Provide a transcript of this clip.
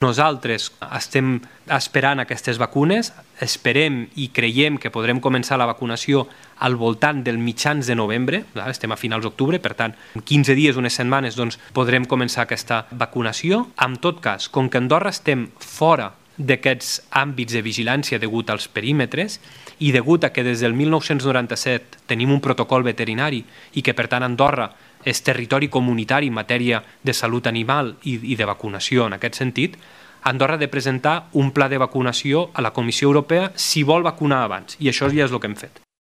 Nosaltres estem esperant aquestes vacunes, esperem i creiem que podrem començar la vacunació al voltant del mitjans de novembre, estem a finals d'octubre, per tant, en 15 dies, unes setmanes, podrem començar aquesta vacunació. En tot cas, com que a Andorra estem fora d'aquests àmbits de vigilància degut als perímetres i degut a que des del 1997 tenim un protocol veterinari i que, per tant, Andorra és territori comunitari en matèria de salut animal i de vacunació en aquest sentit, Andorra ha de presentar un pla de vacunació a la Comissió Europea si vol vacunar abans, i això ja és el que hem fet.